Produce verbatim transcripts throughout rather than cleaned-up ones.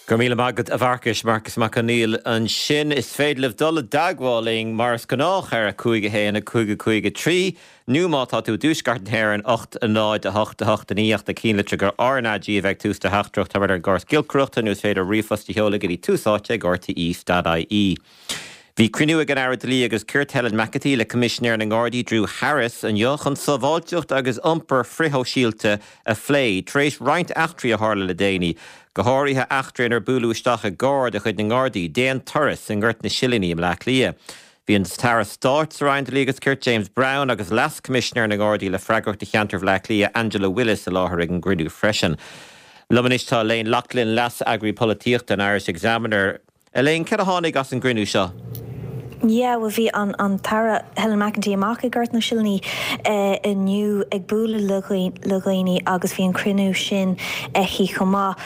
Go raibh míle maith agat a Mharcais Marcas Mac Conghail ansin is féidir libh dul i dteagmháil linn mar is gnách ar a cúig a haon a cúig a cúig a trí, nó má tá tú i dtuaisceart na hÉireann ocht a náid a hocht a hocht a naoi ach cinntigh gur RnaG a bheidh tús do theachtaireacht tá ar an gcóras giolcaireachta nó is féidir ríomhphost a sheoladh go dtí Tús Áite ag RTÉ.ie. Bhí cruinniú ag an Aire Dlí agus Cirt Helen McEntee le Coimisinéir na nGardaí Drew Harris inniu chun sábháilteacht agus iompar frithshóisialta a phlé, tar éis roinnt eachtraí a tharla le déanaí. Go háirithe eachtra inar buaileadh isteach i gcarr de chuid na nGardaí, d'aon turas i nGort na Silíní i mBleá Cliath. Bhí an tAire Stáit sa Roinn Dlí agus Cirt James Browne agus Leas-Choimisinéir na nGardaí le freagracht do cheantar Bhleá Cliath Angela Willis i láthair ag an gcruinniú freisin. Liom anois tá Elaine Loughlin leas-eagraí polaitíochta an Irish Examiner. Elaine cad a tháinig as an gcruinniú seo. Yeah, well bhí an an tAire Helen McEntee amach i Gort na Silíní uh, inniu ag bualadh le dhaoine agus bhí an cruinniú sin aici chomh maith.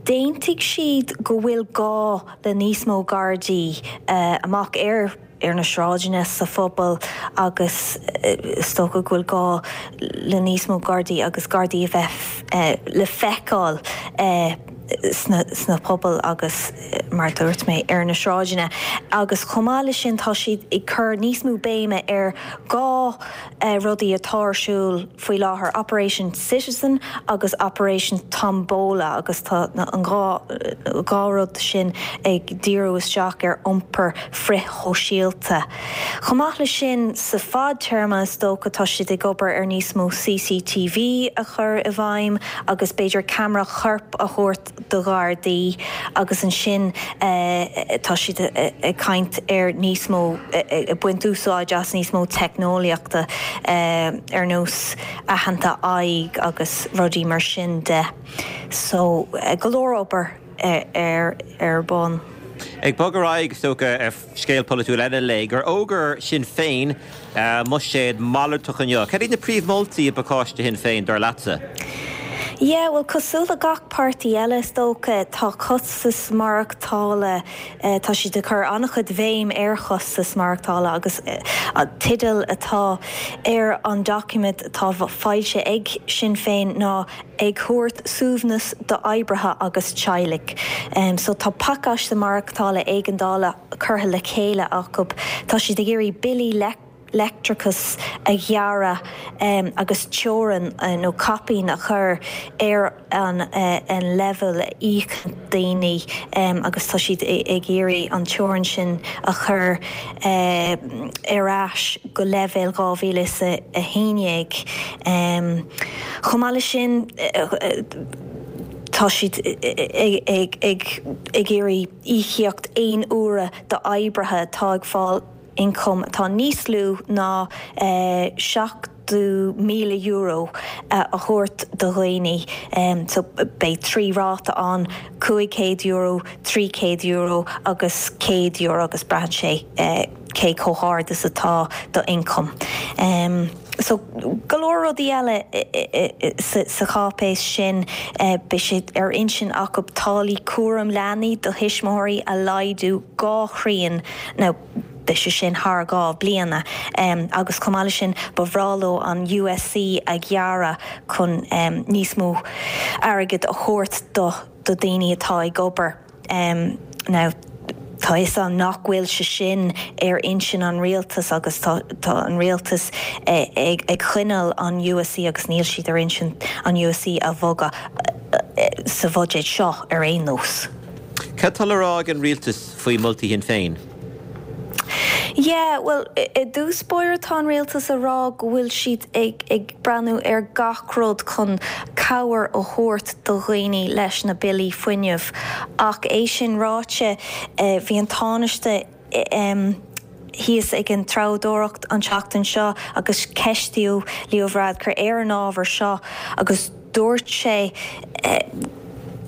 D'aontaigh siad go bhfuil gá le níos mó Gardaí uh, amach ar ar na sráideanna sa phobal agus is dócha go bhfuil gá le níos mó Gardaí agus Gardaí a bheith uh, le feiceáil uh, sna, sna pobal agus mar dúirt mé ar na sráideanna. Agus chomh maith leis sin tá siad ag cur níos mó béime ar dhá uh, rudaí atá ar siúl faoi láthair Operation Citizen agus Operation Tombola agus tá an dhá dhá rud sin ag díriú isteach ar iompar frithshóisialta. Chomh maith leis sin sa fadtéarma is dócha tá siad ag obair ar níos mó CCTV a chur i bhfeidhm agus b'fhéidir ceamara coirp a thabhairt do Ghardaí agus ansin uh, tá siad ag caint ar níos mó ag baint úsáid as níos mó teicneolaíochta uh, ar nós aitheanta aghaidh agus rudaí mar sin de. So uh, go leor obair ar ar bun. Ag bogadh ar scéal polaitiúil eile le gur fhógair Sinn Féin uh, buiséad malartach inniu. Cad iad na príomh-mholtaí i bpacáiste Shinn Féin dar leatsa? Yeah, well cosúil le gach páirtí eile is dócha tá costas maireachtála uh, tá siad ag cur an-chuid béim ar chostas maireachtála agus uh, an teideal atá ar an doiciméad atá foilsithe ag Sinn Féin ná ag thabhairt suaimhneas d'oibrithe agus teaghlaigh. Um, so tá pacáiste maireachtála éigeandála curtha le chéile acu Tá siad ag iarraidh billí le leictreachas a ghearradh um, agus teorainn uh, nó caipín a chur ar an, uh, an leibhéal a íocann daoine um, agus tá siad ag iarraidh an teorainn sin a chur uh, ar ais go leibhéal dhá mhíle a haon déag. Um, Chomh maith leis sin uh, tá siad ag ag iarraidh íocaíocht aon uaire d'oibrithe atá ag fáil ioncam atá níos lú ná eh, seachtó míle euro uh, a thabhairt do dhaoine um, so beidh trí ráta ann cúig chéad euro, trí chéad euro agus céad euro agus braitheann sé uh, cé chomh hard is atá do ioncam. Um, so go leor rudaí eile sa, sa cháipéis sin uh, bhí sé ar intinn acu táillí cúram leanaí do thuismitheoirí a laghdú dhá thrian nó beidh sé sin thar dhá bliana um, agus chomh maith sin ba bhreá leo an USC a ghearradh chun um, níos mó airgead a thabhairt do do daoine atá ag obair. Um, now, Tá is an nach bhfuil sé sin ar intinn an rialtas agus tá, tá an rialtas eh, ag, ag coinneáil an USC agus níl siad ar intinn an USC a bhogadh eh, sa bhuiséad seo ar aon nós. Cad tá le rá ag an rialtas faoi mholtaí Shinn Féin? Yeah, well i dtús báire tá an rialtas ag rá go bhfuil siad ag, ag breathnú ar gach rud chun cabhair a thabhairt do dhaoine leis na billí fuinnimh. Ach é sin ráite eh, bhí an Tánaiste um, thíos ag an treabhdóireacht an tseachtain seo agus ceistíodh Leo Varadkar ar an ábhar seo agus dúirt sé eh,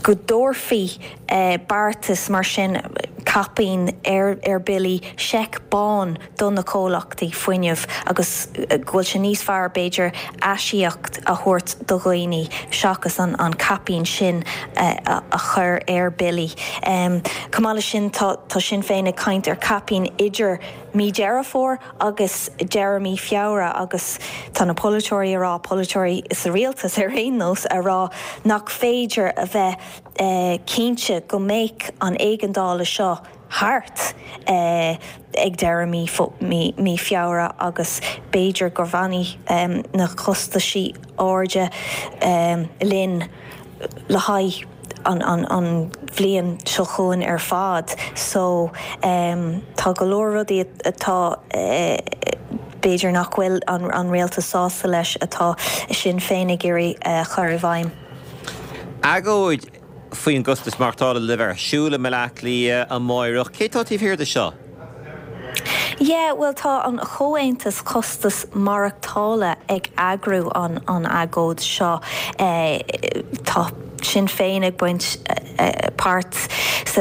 go dtabharfaí eh, beartas mar sin caipín ar ar billí seic bán do na comhlachtaí fuinnimh agus eh, go bhfuil sé níos fearr b'fhéidir aisíocaíocht a thabhairt do dhaoine seachas an, an caipín sin eh, a, a chur ar billí. Um, Chomh maith leis sin tá, tá Sinn Féin ag caint ar caipín idir mí Deireadh Fómhair agus deireadh mí Feabhra agus tá na polaiteoirí ag rá polaiteoirí sa rialtas ar aon nós ag rá nach féidir a bheith eh, cinnte go mbeidh an éigeandáil seo thart eh, ag deireadh mí, mí, mí Feabhra agus b'fhéidir go bhfanfaidh um, na costaisí arda um, linn le haghaidh an, an, an bhliain seo chugainn ar fad so um, tá go leor rudaí atá uh, b'fhéidir nach bhfuil an, an rialtas sásta leis atá Sinn Féin ag iarraidh uh, chur i bhfeidhm. Agóid faoin gcostas maireachtála le bheith ar siúl i mBaile Átha Cliath amárach, cé tá taobh thiar de seo? Yeah, well tá an Comhaontas Costas Maireachtála ag eagrú an an agóid seo eh, tá Sinn Féin ag baint eh, páirt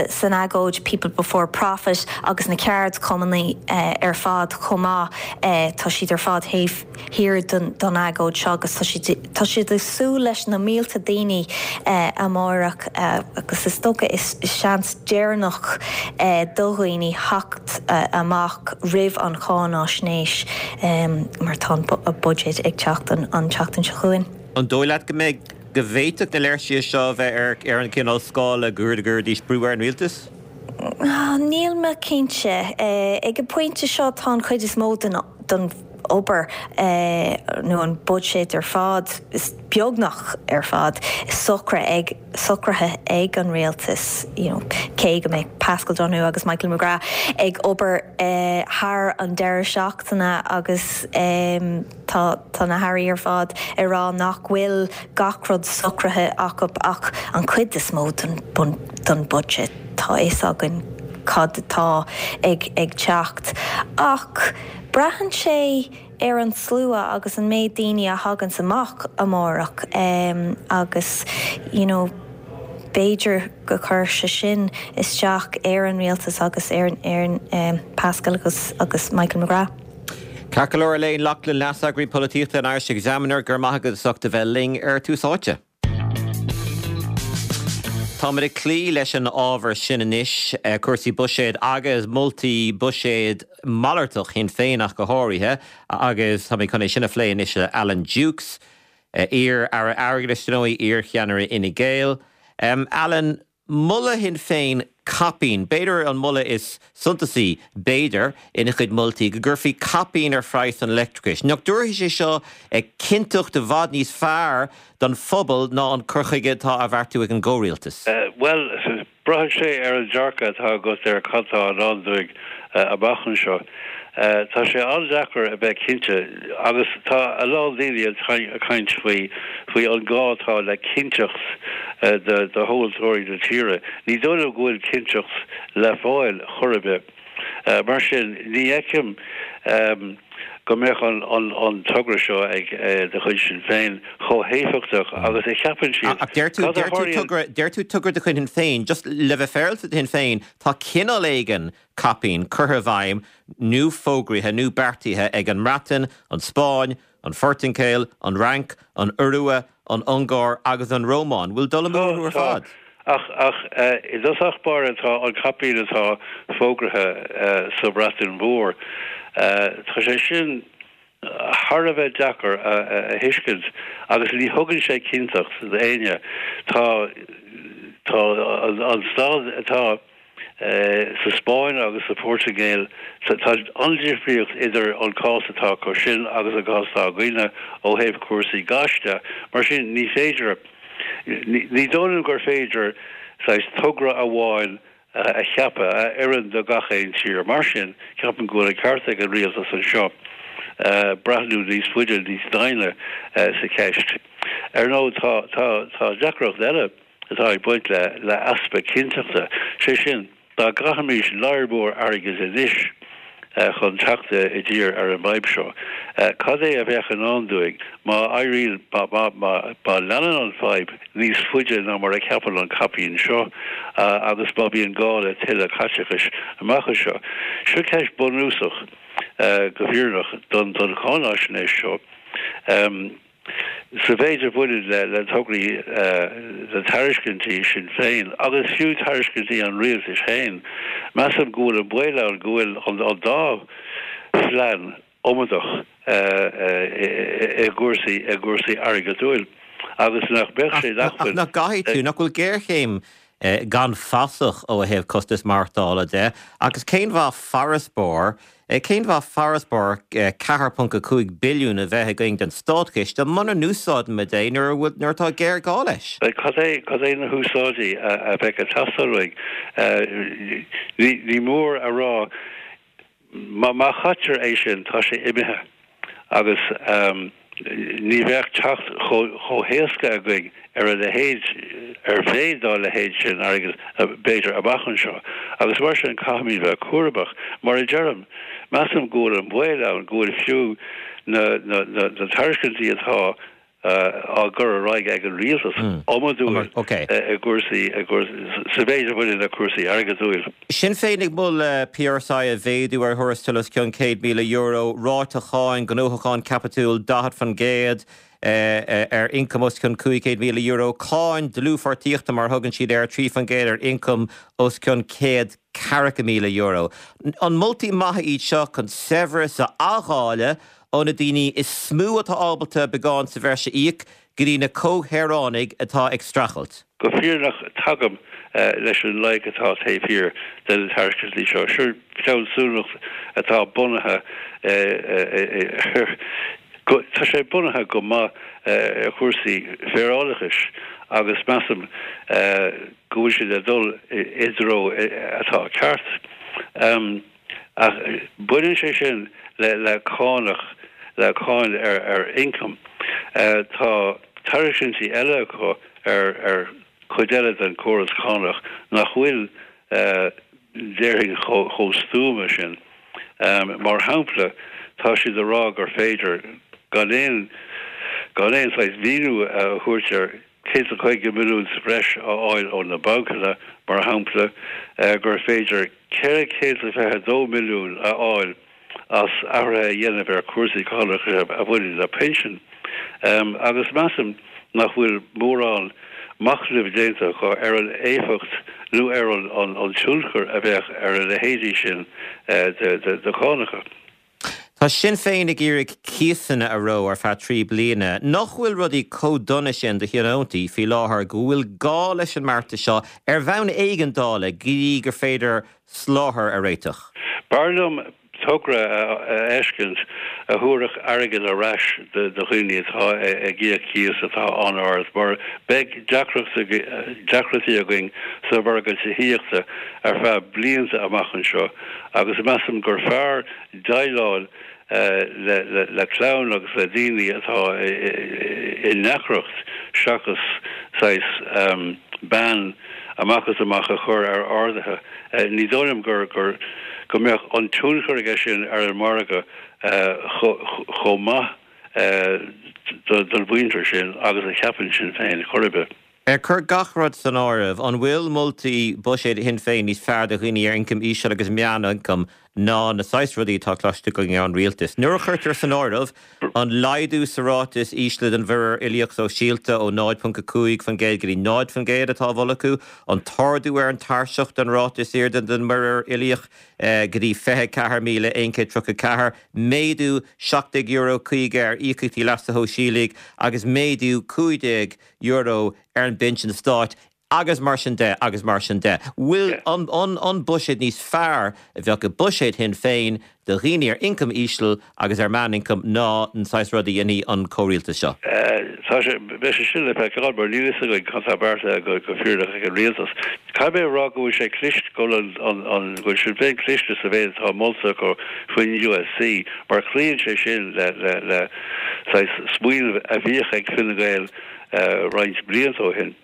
san agóid People Before Profit agus na ceardchumainn eh, ar fad chomh maith eh, tá siad ar fad taobh thiar don, don agóid seo agus tá siad ag súil leis na mílte daoine eh, amárach eh, agus is dócha is, is seans deireanach eh, do dhaoine theacht eh, amach roimh an cháinaisnéis um, mar tá an budget ag teacht an, an tseachtain seo chugainn. An dóigh leat go mbeidh go bhféadfadh na léirsithe seo bheith ar ar an cineál scála go gcuirfidís brú ar an rialtas? Ah, níl mé cinnte eh, ag an bpointe seo tá an chuid is mó den don obair eh, nó an budget ar fad is beagnach ar fad socraithe ag socraithe ag an rialtas you know, cé go mbeidh Pascal Donoghue agus Michael McGrath ag obair eh, thar an deireadh seachtaine agus um, tá tá na hairí ar fad ag rá nach bhfuil gach rud socraithe acu ach an chuid is mó don, don budget tá a fhios againn cad atá ag ag teacht ach braitheann sé ar an slua agus an méid daoine a thagann amach amárach um, agus you know, b'fhéidir go gcuirfidh sé sin isteach ar an rialtas agus ar ar um, Pascal agus agus Michael McGrath. Ceart go leor Elaine Loughlin leaseagraí polaitíochta an Irish Examiner gur maith agat as ucht a bheith linn ar Tús Áite. Táimid ag cloí leis an ábhar sin anois eh, cúrsaí buiséid agus moltaí buiséid malartach Shinn Féin ach go háirithe agus tá mé chun é sin a phlé anois le Alan Dukes, eh, iar-aire airgeadais nó iarcheannaire Fhine Gael. Um, Alan, moladh Shinn Féin caipín, b'fhéidir an moladh is suntasaí b'fhéidir ina chuid moltaí go gcuirfí caipín ar phraghas an leictreachais. Nach dtabharfaidh sé seo ag cinnteacht i bhfad níos fearr don phobal ná an cur chuige atá á bheartú ag an gcomhrialtas. Uh, well, braitheann sé ar an dearcadh atá agat ar cad atá i ndán dúinn uh, amach anseo. Uh, tá sé an-deacair a bheith cinnte agus tá a lán daoine ag caint faoi faoi an gá atá le cinnteacht uh, de de thomhaltóirí na tíre. Ní dóigh go bhfuil cinnteacht le fáil chor ar bith. Uh, mar sin ní fheicim um, go mbeadh an, an, an togra seo ag uh, de chuid Sinn Féin chomh héifeachtach agus a cheapann siad. Ach deir tú deir tú togra de chuid Shinn Féin, just le bheith féaráilte Shinn Féin tá cineál éigin caipín curtha i bhfeidhm nó fógraithe nó beartaithe ag an mBreatain, an Spáinn, an Phortaingéil, an Fhrainc, an Iorua, an Ungáir agus an Rómáin, bhfuil dul amú ar fad. Ach ach i dtosach báire tá an caipín atá fógraithe uh, sa Bhreatain Mhór. Uh, tá sé sin thar a bheith deacair a, a, a thuiscint agus ní thugann sé cinnteacht d'éinne tá tá an, an staid atá uh, sa Spáinn agus sa Phortaingéil tá an-difríocht idir an cás atá acu sin agus an cás atá againne ó thaobh cúrsaí gáis de mar sin ní féidir ní dóigh gur féidir togra amháin a cheapadh a oireann do gach aon tír mar sin ceapaim go bhfuil an ceart ag an rialtas anseo breathnú níos faide níos doimhne sa cheist. Ar ndóigh tá tá tá deacracht eile atá ag baint le le easpa cinnteachta sé sin dá gcaithfimis lear mór airgid anois chun teacht i dtír ar an bhfadhb seo. Cad é a bheadh i ndán dúinn má éiríonn má leanann an fhadhb níos faide ná mar a cheapann an caipín seo agus má bhíonn gá le tuilleadh caiteachais amach anseo. Seo ceist bunúsach go fírinneach don don cháinaisnéis seo. Um, Sa mhéid a bhaineann le le tograí le tairiscintí Sinn Féin agus fiú tairiscintí an rialtais féin, measaim go bhfuil an baol ann go bhfuil an an dá phlean iomadach i gcúrsaí i gcúrsaí airgeadúil agus nach mbeadh sé Ach nach gcaithfidh tú, nach bhfuil géarchéim gan fasach ó thaobh costas maireachtála de, agus cén mhaith farasbarr, cén mhaith farasbarr ceathair ponc a cúig billiún a bheith againn den státchiste muna n-úsáidimid é nuair a bhfuil, nuair atá géarghá leis? Cad é, cad é na húsáidí a bheadh ag teastáil uaidh? Ní, ní mór a rá, má, má chaitear é sin, tá sé imithe agus ní bheadh teacht chomh héasca againn ar a leithéid, ar mhéid dá leithéid sin airgid, b'fhéidir, amach anseo. Agus mar sin caithfimid bheith cúramach. Mar a deirim, measaim go bhfuil an baol ann go bhfuil fiú na tairiscintí atá á gcur ar aghaidh ag an rialtas iomadúil i gcúrsaí, sa mhéid a bhaineann le cúrsaí airgeadúil. Sinn Féin ag moladh P R S I a mhéadú ar thuarastail os cionn céad míle euro, ráta cháin gnóthachán caipitiúil daichead faoin gcéad ar ioncam os cionn cúig chéad míle euro, cáin dlúthpháirtíochta mar a thugann siad air, trí faoin gcéad ar ioncam os cionn céad ceathracha míle euro. An moltaí maithe iad seo chun saibhreas a athdháileadh ó na daoine is mó atá ábalta beagán sa bhreis a íoc go dtí na comhshaoránaigh atá ag streachailt. Go fírinneach tagaim leis an loighic atá taobh thiar de na tairiscintí seo. Seo fealsúnacht atá bunaithe ar, tá sé bunaithe go maith ar chúrsaí féarálachais agus measaim go bhfuil siad ag dul i dtreo atá ceart. Ach baineann sé sin le le cánach, le cáin ar ar ioncam. Tá tairiscintí eile acu ar ar chuid eile den chóras cánach nach bhfuil, déarfainn, chomh chomh stuama sin. Mar shampla, tá siad ag rá gur féidir, gan aon gan aon saghas mhíniú a thabhairt air, céad is caoga milliún sa bhreis a fháil ó na bancanna, mar shampla, gur féidir ceithre chéad is fiche dó milliún a fháil as athruithe a dhéanamh ar chúrsaí cánach a bhaineann le pinsin. Agus measaim nach bhfuil mórán machnaimh déanta acu ar an éifeacht nó ar an tionchar a bheadh ar a leithéidí sin de chánacha. Tá Sinn Féin ag iarraidh cíosanna a reo ar feadh trí bliana. Nach bhfuil rudaí chomh dona sin do thionóntaí faoi láthair go bhfuil gá leis an mbeartas seo ar bhonn éigeandála go dtí gur féidir soláthar a réiteach? B'fhearr liom togra a fheiscint a thabharfadh airgead ar ais do dhaoine atá ag íoc cíos atá an-ard mar beidh deacrachtaí againn sa mhargadh tithíochta ar feadh blianta amach anseo agus measaim gur fearr déileáil le clann agus le daoine atá i ndeacracht seachas saghas bean amach is amach a chur ar arduithe. Ní dóigh liom gur go mbeadh an tionchar aige sin ar an margadh chomh maith don mhuintir sin agus a cheapann Sinn Féin chor ar bith. Ag cur gach rud san áireamh, an bhfuil moltaí buiséid Shinn Féin níos fearr do dhaoine ar ioncam íseal agus meánioncam ná na saghas rudaí atá cloiste againn ón rialtas? Nuair a chuirtear san áireamh an laghdú sa ráta is ísle den mhuirear uilíoch sóisialta ó náid ponc a cúig faoin gcéad go dtí náid faoin gcéad atá á mholadh acu, an t-ardú ar an tairseach don ráta is airde den mhuirear uilíoch go dtí fiche ceathair míle aon chéad tríocha ceathair, méadú seacht déag euro caoga ar íocaíochtaí leasa shóisialaigh agus méadú cúig déag euro ar an bpinsean stáit agus mar sin de agus mar sin de. Bhfuil an an buiséad níos fearr a bheadh i buiséad Shinn Féin do dhaoine ar ioncam íseal agus ar meánioncam ná an saghas rud a dhéanfaidh an comhrialtas seo? Tá sé, beidh sé sin le feiceáil mar níl fhios againn cad tá beartaithe go go fírinneach ag an rialtas. Caithfidh mé a rá go bhfuil sé cliste, go bhfuil an an go bhfuil Sinn Féin cliste sa mhéid atá molta acu faoin U S C mar cloíonn sé sin le le le saghas smaoineamh a bhíodh ag Fine Gael roinnt blianta ó shin.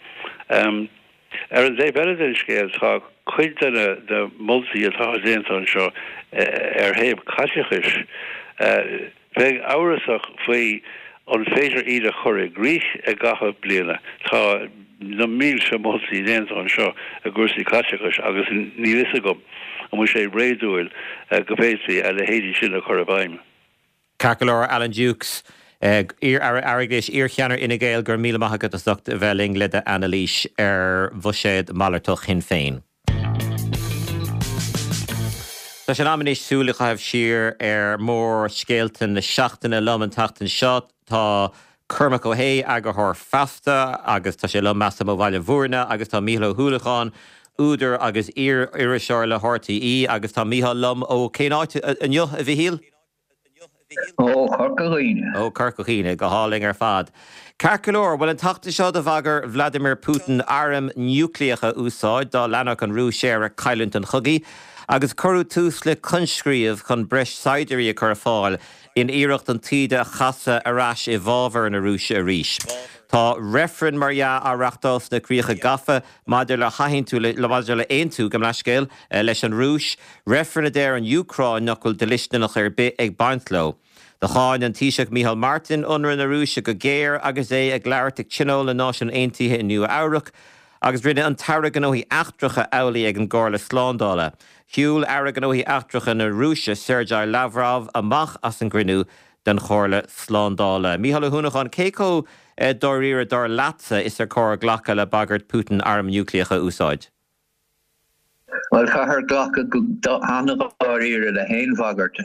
Ar an dtaobh eile den scéal, tá cuid de na moltaí atá déanta anseo ar thaobh caiteachais, bheinn amhrasach faoi an féidir iad a chur i gcrích i gcaitheamh bliana. Tá na mílte moltaí déanta anseo i gcúrsaí caiteachais agus níl fhios agam an bhfuil sé réadúil go bhféadfaí a leithéidí sin a chur i bhfeidhm. Ceart go leor, Alan Dukes, Iar-Aire Airgeadais, iar-cheannaire Fhine Gael, go raibh míle maith agat as ucht a bheith linn le d'anailís ar bhuiséad malartach Shinn Féin. Tá sé in am anois súil a chaitheamh siar ar mhórscéalta na seachtaine. Liom an tseachtain seo tá Cormac Ó hAodha, eagarthóir Feasta, agus tá sé liom measaim ó Bhaile Bhúirne, agus tá Mícheál Ó hUallacháin, údar agus iar-iriseoir le RTÉ, agus tá Mícheál liom ó cén áit inniu, a Mhichíl? Ó Chorca Dhuibhne. Ó Chorca Dhuibhne, go hálainn ar fad. Ceart go leor, bhuel an tseachtain seo do bhagair Vladimir Putin airm núicléacha a úsáid dá leanfadh an Rúis air ag cailliúint an chogaidh, agus cuireadh tús le coinscríobh chun breis saighdiúirí a chur ar fáil in iarracht an taoide a chasadh ar ais i bhfabhar na Rúise arís. Tá reifreann, mar dhea, á reachtáil sna críocha gafa maidir le hathaontú maidir le aontú, gabh mo leithscéal, leis an Rúis, reifreann a deir an Úcráin nach bhfuil dlisteanach ar bith ag baint leo. Do cháin an Taoiseach Micheál Martin ionradh na Rúise go géar agus é ag labhairt ag Tionól na Náisiún Aontaithe i Nua Eabhrac, agus rinne an tAire Gnóthaí Eachtracha amhlaidh ag an gComhairle Slándála. Shiúil Aire Gnóthaí Eachtracha na Rúise, Sergei Lavrov, amach as an gcruinniú den Chomhairle Slándála. Mícheál Ó hUanacháin, cé chomh dáiríre, dar leatsa, is ar chóir glacadh le bagairt Putin arm núicléach a úsáid? Bhuel, caithfear glacadh go han-dháiríre le haon bhagairt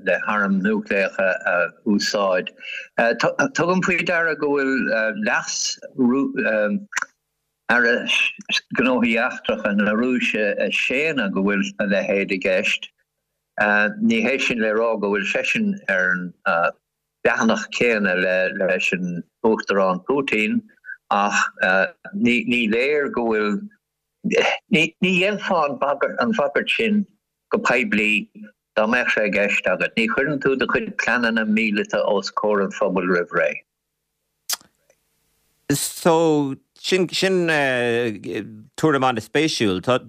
le hairm núicléacha a úsáid. Tugaim faoi deara go bhfuil leas Aire Gnóthaí Eachtracha na Rúise ag séanadh go bhfuil a leithéid i gceist. Ní hé sin le rá go bhfuil seisean ar an leathanach céanna leis an Uachtarán Putin ach ní léir go bhfuil, ní dhéanfá an bhagairt sin go poiblí dá mbeadh sé i gceist agat. Ní chuireann tú do chuid pleananna míleata os comhair an phobail roimh ré. So, sin, sin tuairim an-spéisiúil. Tá,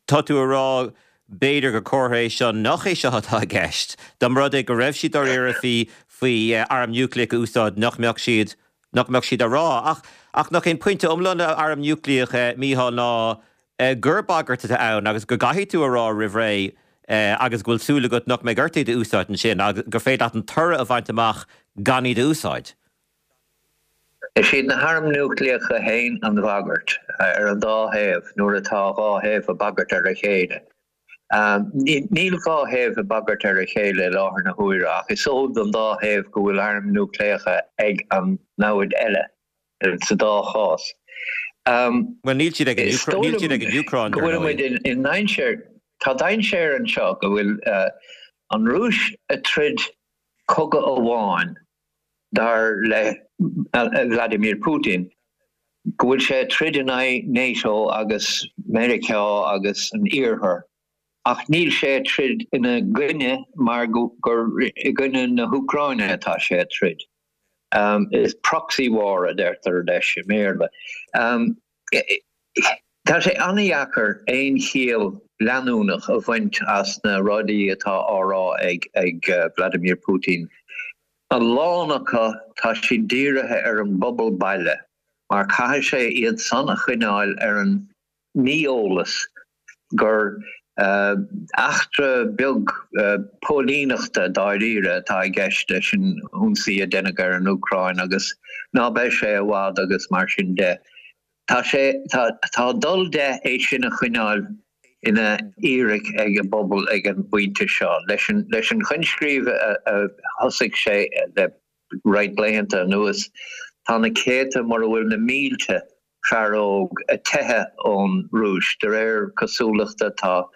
tá tú a rá b'fhéidir gur comhartha é seo nach é seo atá i gceist. Dá mba rud é go raibh siad dáiríre faoi, faoi arm núicléach a úsáid, nach mbeadh siad, nach mbeadh siad á rá. Ach, ach nach é an pointe iomlán le arm núicléach, Mícheál, ná gur bagairt atá ann agus go gcaithfidh tú a rá roimh ré agus go bhfuil súil agat nach mbeidh ort iad a úsáid ansin agus gur féidir leat an toradh a bhaint amach gan iad a úsáid. Is iad na hairm núicléacha féin an bhagairt ar an dá thaobh nuair atá dhá thaobh ag bagairt ar a chéile. Níl dhá thaobh ag bagairt ar a chéile i láthair na huaire ach is eol don dá thaobh go bhfuil airm núicléacha ag an namhaid eile sa dá chás. Bhuel, níl siad ag an níl siad ag an Úcráin, dar ndóigh. I ndainséar, tá dainséar anseo go bhfuil an Rúis ag troid cogadh amháin dar le Vladimir Putin, go bhfuil sé ag troid in aghaidh NATO agus Meiriceá agus an Iarthair, ach níl sé ag troid ina gcoinne mar gur i gcoinne na hÚcráine atá sé ag troid. Is proxy war a deirtear leis i mBéarla. Tá sé an-dheacair aon chiall leanúnach a bhaint as na rudaí atá á rá ag Vladimir Putin. A lán acu, tá siad dírithe ar an bpobal baile mar caithfidh sé iad san a choinneáil ar an mí-eolas gur eachtra beag póilíneachta dáiríre atá i gceist leis an ionsaí a deineadh ar an Úcráin agus ná beidh sé i bhfad agus mar sin de. Tá sé, tá, tá dul de é sin a choinneáil ina fhíric ag an bpobal ag an bpointe seo. Leis an, leis an choinscríobh a, a thosaigh sé le roinnt laethanta anuas, tá na céadta, mura bhfuil na mílte, fear óg ag teitheadh ón Rúis. De réir cosúlachta, tá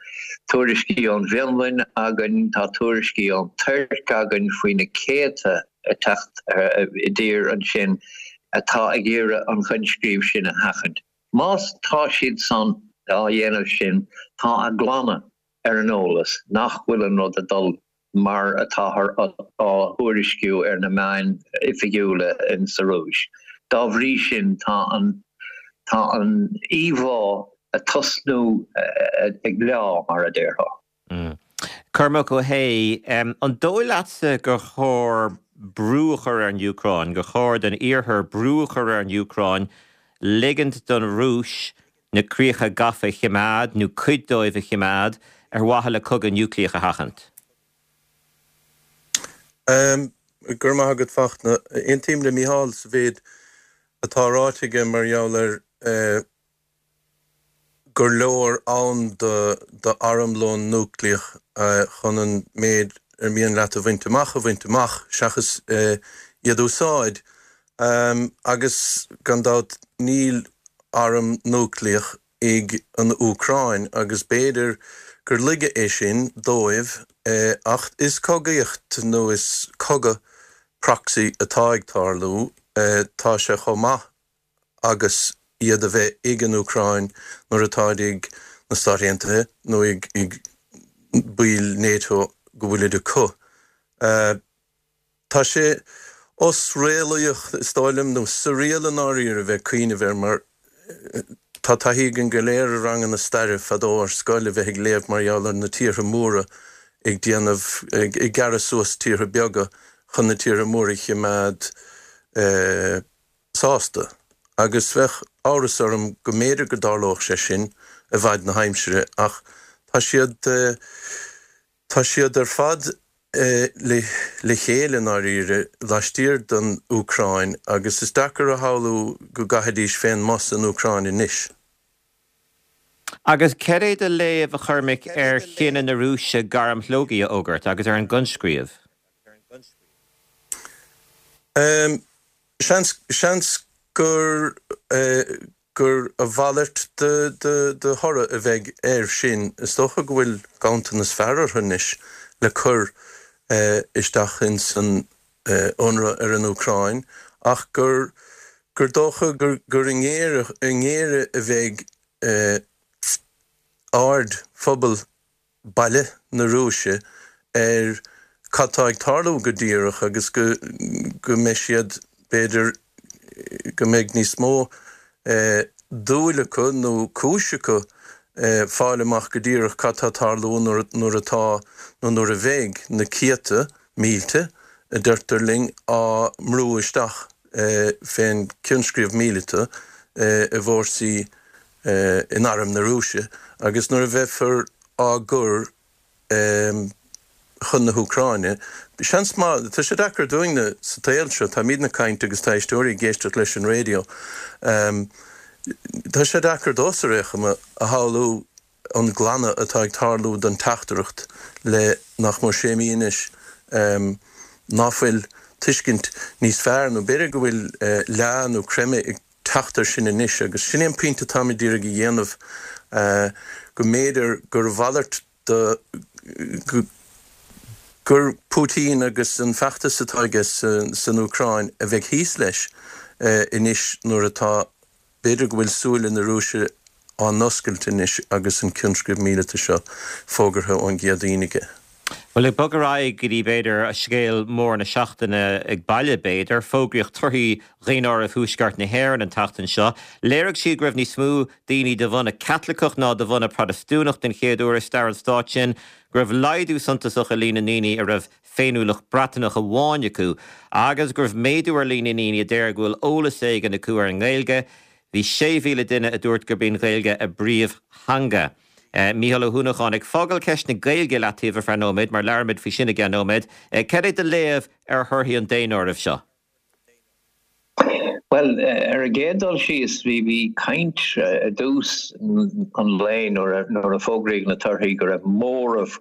tuairiscí ón bhFionlainn againn, tá tuairiscí ón Tuirc againn faoi na céadta ag teacht i dtír ansin atá ag iarraidh an choinscríobh sin a sheachaint. Más tá siad san á dhéanamh sin, tá a gclanna ar an eolas nach bhfuil an rud ag dul mar atáthar á thuairisciú ar na meáin oifigiúla in sa Rúis. Dá bhrí sin, tá an tá an íomhá ag tosnú ag leá, mar a déarfá. Cormac Ó hAodha, an dóigh leatsa gur chóir brú a chur ar an Úcráin, gur chóir don Iarthar brú a chur ar an Úcráin ligint don Rúis na críocha gafa a choimeád, nó cuid dóibh a choimeád, ar mhaithe le cogadh núicléach a sheachaint? Go raibh maith agat Fachtna. Aontaím le Mícheál sa mhéid atá ráite aige mar gheall ar gur leor ann d'armlón núicléach chun an méid ar mian leat a bhaint amach a bhaint amach seachas iad a úsáid. Agus gan dabht níl arm núicléach ag an Úcráin agus b'fhéidir gur laige é sin dóibh ach is cogaíocht nó is cogadh proxy atá ag tarlú, tá sé chomh maith agus iad a bheith ag an Úcráin nuair atáid ag na Stáit Aontaithe nó ag baill NATO go bhfuilid acu. Tá sé osréalaíoch, is dóigh liom, nó surreal i ndáiríre a bheith ag cuimhneamh air mar tá taithí againn go léir i ranganna staire fadó ar scoil a bheith ag léamh mar gheall ar na tíortha móra ag déanamh, ag gearradh suas tíortha beaga chun na tíortha móra a chimeád sásta. Agus bheadh amhras orm go mb'fhéidir go dtarlódh sé sin i bhfad na haimsire ach tá siad, tá siad ar fad le le chéile i ndáiríre laistiar den Úcráin agus is deacair a shamhlú go gcaithfidís fén mbos an Úcráin anois. Agus céard é do léamh, a Chormaic, ar chinneadh na Rúise gairm shlógaidh a fhógairt agus ar an gcoinscríobh? Seans, seans gur, gur a mhalairt de, de, de thoradh a bheidh air sin. Is dócha go bhfuil ganntanas fear orthu anois le cur isteach ins an ionradh ar an Úcráin ach gur, gur dócha gur, gur i ngéire, i ngéire a bheidh aird phobal baile na Rúise ar cad tá ag tarlú go díreach agus go go mbeidh siad, b'fhéidir, go mbeidh níos mó dúil acu nó cúis acu fáil amach go díreach cad tá ag tarlú nuair nuair atá nó nuair a bheidh na céadta mílte, a deirtear linn, á mbrú isteach fén gcoinscríobh míleata i bhfórsaí in arm na Rúise agus nuair a bheifear á gcur chun na hÚcráine. Seans maith, tá sé deacair dúinne sa tsaol seo, táimidne ag caint agus tá éisteoirí ag éisteacht leis an raidió, tá sé deacair domhsa ar aon chuma a shamhlú an glanadh atá ag tarlú don teachtaireacht le nach mór sé mí anois ná fuil tuiscint níos fearr nó b'fhéidir go bhfuil leá nó creimeadh ag teacht air sin anois agus sin é an pointe atáimid d'iarraidh a dhéanamh, go mb'fhéidir gur a mhalairt de, gur Putin agus an feachtas atá aige san Úcráin a bheidh thíos leis anois nuair atá, b'fhéidir go bhfuil súile na Rúise á n-oscailt anois agus an coinscríobh míleata seo fógartha ón gCéadaoin aige. Bhuel, ag bogadh ar aghaidh go dtí, b'fhéidir, scéal mór na seachtaine ag baile, b'fhéidir. Fógraíodh torthaí Dhaonáireamh Thuaisceart na hÉireann an tseachtain seo. Léirigh siad go raibh níos mó daoine de bhunadh Caitliceach ná de bhunadh Protastúnach den chéad uair i stair an stáit sin, go raibh laghdú suntasach i líon na ndaoine a raibh féiniúlacht Breatnach amháin acu agus go raibh méadú ar líon na ndaoine a deir go bhfuil eolas éigin acu ar an nGaeilge. Bhí sé mhíle duine a dúirt gurb í an Ghaeilge a bpríomhtheanga. Mícheál Ó hUanacháin, ag fágáil ceist na Gaeilge i leataobh ar feadh nóiméad, mar labhróimid faoi sin i gceann nóiméad, cad é do léamh ar thorthaí an daonáirimh seo? Bhuel, ar an gcéad dul síos, bhí bhí caint i dtús an lae nuair a nuair a fógraíodh na torthaí go raibh móramh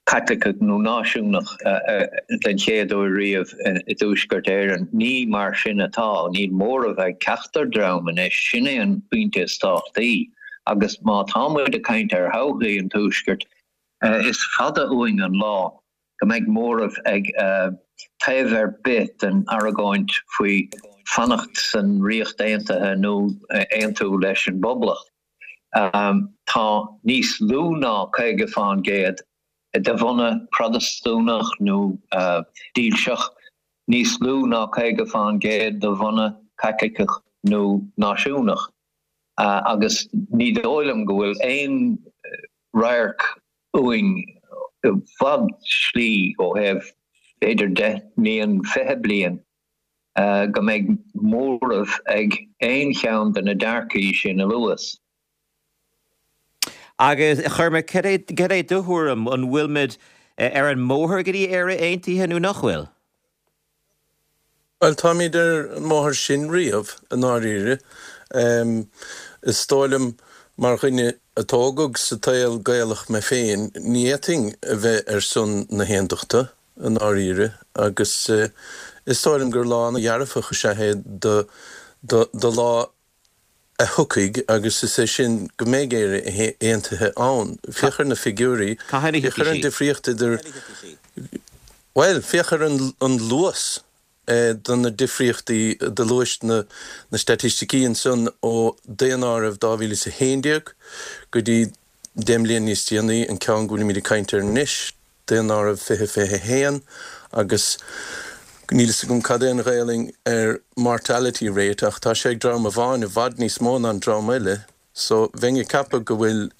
Caitliceach nó náisiúnach den chéad uair riamh i dTuaisceart Éireann. Ní mar sin atá. Níl móramh ag ceachtar dream anois. Sin é an pointe is tábhachtaí. Agus má tá muid ag caint ar thodhchaí an Tuaiscirt, is fada uainn an lá go mbeidh móramh ag taobh ar bith den argóint faoi fanacht san Ríocht Aontaithe nó aontú leis an bPoblacht. Tá níos lú ná caoga fán gcéad de bhunadh Protastúnach nó dílseach, níos lú ná caoga fán gcéad de bhunadh Caitliceach nó náisiúnach, agus ní dóigh liom go bhfuil aon radharc uainn i bhfad slí ó thaobh b'fhéidir deich mbliain, fiche bliain, go mbeidh móramh ag aon cheann de na dearcaí sin a luas. Agus, a Chormaic, cad é, cad é do thuairim? An bhfuilimid ar an mbóthar go dtí Éire Aontaithe nó nach bhfuil? Bhuel, táimid ar an mbóthar sin riamh, i ndáiríre. Is dóigh liom, mar dhuine a tógadh sa tsaol Gaelach mé féin, ní fhéadfainn a bheith ar son na haondachta, i ndáiríre, agus is dóigh liom gur lá ana-dhearfach is ea é do, do lá a thiocfaidh, agus is é sin go mbeidh Éire aontaithe ann. Féach ar na figiúirí, féach ar an difríocht idir, bhuel, féach ar an luas de na difríochtaí de luais na staitisticí ansan ó daonáireamh dhá mhíle is a haon déag go dtí deich mbliana níos déanaí, an ceann go bhfuilimid ag caint air anois, daonáireamh fiche fiche a haon, agus níl fhios agam cad é an Ghaelainn ar mortality rate ach tá sé ag dream amháin i bhfad níos mó ná an dream eile. So, bheinn ag ceapadh go bhfuil,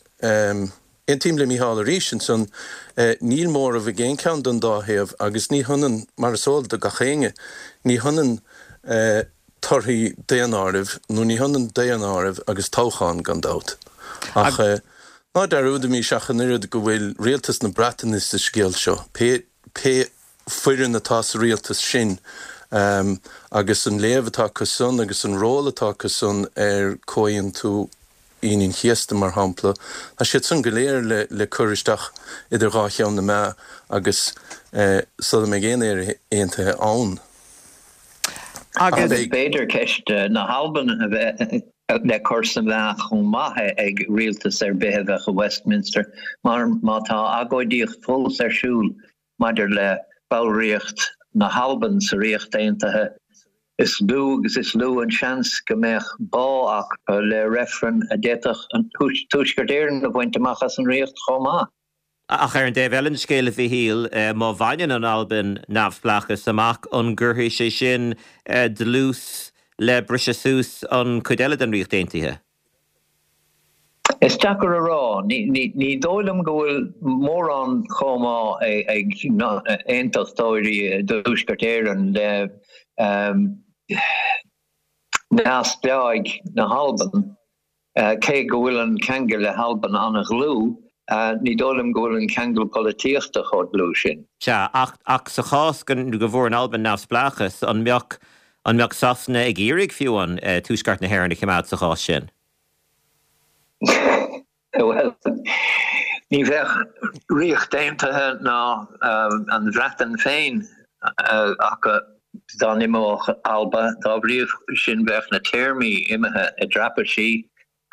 aontaím le Mícheál arís ansan, níl móramh ag aon cheann den dá thaobh agus ní hionann, mar is eol do gach éinne, ní hionann torthaí daonáirimh, nó ní hionann daonáireamh agus toghchán, gan dabht. Ach ná dearúdaimis ach an oiread go bhfuil rialtas na Breataine sa scéal seo, pé, pé foireann atá sa rialtas sin agus an léamh atá acu san agus an ról atá acu san ar Chomhaontú Aoine an Chéasta, mar shampla, tá siad san go léir le cur isteach idir dhá cheann na meá agus sula mbeidh aon Éire aontaithe ann. Agus b'fhéidir ceist na hAlban a bheith le cur sa mheá chomh maith ag rialtas ar bith a bheadh i Westminster, mar má tá agóidíocht fós ar siúl maidir le ballraíocht na hAlban sa Ríocht Aontaithe, is lú agus is lú an seans go mbeadh bá acu le reifreann a d'fhéadfadh an Tuaisceart Éireann a bhaint amach as an Ríocht chomh maith. Ach ar an dtaobh eile den scéal, a Mhichíl, má bhaineann an Albain neamhspleáchas amach, an gcuirfidh sé sin dlús le briseadh suas an chuid eile den Ríocht Aontaithe? Is deacair a rá. Ní dóigh liom go bhfuil mórán comhbhá ag aontachtóirí i dTuaisceart Éireann le neamhspleáigh na hAlban, cé go bhfuil an ceangal le hAlbain an-dhlúth, ní dóigh liom go bhfuil an ceangal polaitíochta chomh dlúth sin. Sea, ach sa chás go bhfuair an Albain neamhspleáchas, an mbeadh an mbeadh Sasana ag iarraidh fiú an Tuaisceart na hÉireann a choimeád sa chás sin? Bhuel, ní bheadh Ríocht Aontaithe ná an Bhreatain féin acu dá n-imeodh Alba, dá bhrí sin bheadh na téarmaí imithe i dtraipisí,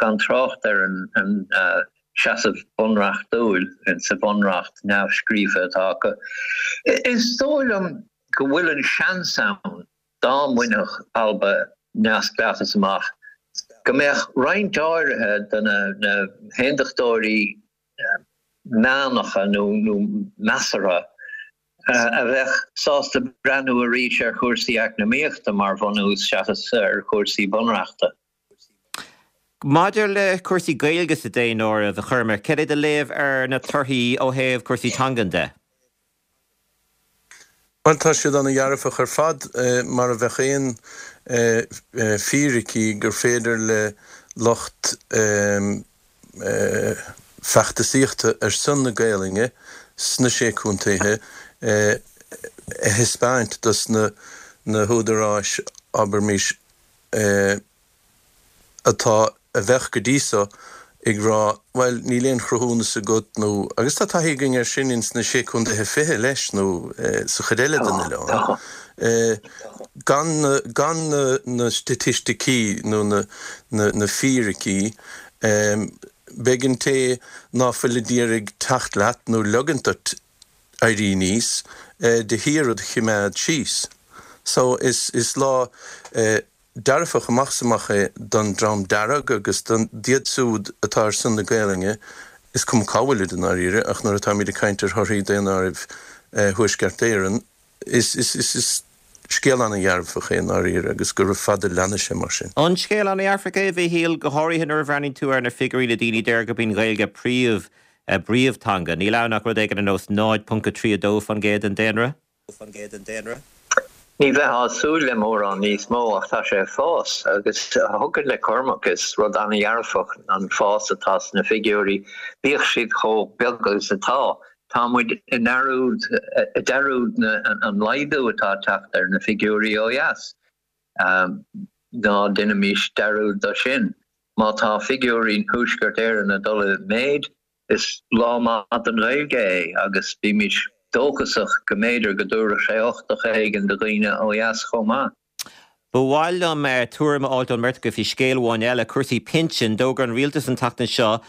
gan trácht ar an seasamh bunreachtúil sa bhunreacht neamhscríofa atá acu. Is dóigh liom go bhfuil an seans ann dá mbainfeadh Alba neamhspleáchas amach, go mbeadh roinnt áirithe de na haontachtóirí meánacha nó measartha a bheadh sásta breathnú arís ar chúrsaí eacnamaíochta mar bhunús seachas ar chúrsaí bunreachta. Maidir le cúrsaí Gaeilge sa daonáireamh, a Chormaic, cad é do léamh ar na torthaí ó thaobh cúrsaí teangan de? Bhuel, tá siad ana-dhearfach ar fad, mar a bheadh aon fíricí gur féidir le lucht feachtasaíochta ar son na Gaelainne sna Sé Contaetha a thaispeáint dos na húdaráis, abraimis, atá, a bheadh go dtí so ag rá, bhuel, níl aon chruthúnas agat nó, agus tá taithí againn air sin ins na Sé Contaetha Fiche leis nó sa chuid eile den oileán, gan na, gan na, na staitisticí nó na, na, na fíricí, beidh an té ná fuil a d'iarraidh teacht leat nó leigint duit éirí aníos de shíor id choimeád síos. So, is, is lá. Dearfach amach is amach é don Dream Dearg agus d'iad siúd atá ar son na Gaelainne, is cuma cá bhfuilid i ndáiríre, ach nuair atáimid ag caint ar thorthaí Daonáireamh Thuaisceart Éireann, is scéal an-dhearfach é i ndáiríre agus gura fada leanfaidh sé mar sin. An scéal an-dhearfach é, a Mhichíl, go háirithe nuair a bhreathnaíonn tú ar na figiúirí le daoine a deir gurb í an Ghaeilge príomh a bpríomhtheanga. Níl ann ach rud éigin ar nós náid ponc a trí a dó faoin gcéad den daonra. Ní bheifeá ag súil le mórán níos mó ach tá sé ag fás agus thiocfadh le Cormac, is rud an-dhearfach an fás atá sna figiúirí, bíodh siad chomh beag agus atá. Tá muid i ndearúd i ndearúd na an laghdú atá ag teacht ar na figiúirí ó dheas. Ná déanaimis dearúd de sin. Má tá figiúirí Thuaisceart Éireann ag dul i méid, is lá maith don Ghaeilge é agus bímis dóchasach go mb'fhéidir go dtabharfadh sé uchtach éigin do dhaoine ó dheas chomh maith. Ba mhaith liom tuairim a fháil ón mbeirt agaibh faoi scéal amháin eile, cúrsaí pinsin. D'fhógair an rialtas an tseachtain seo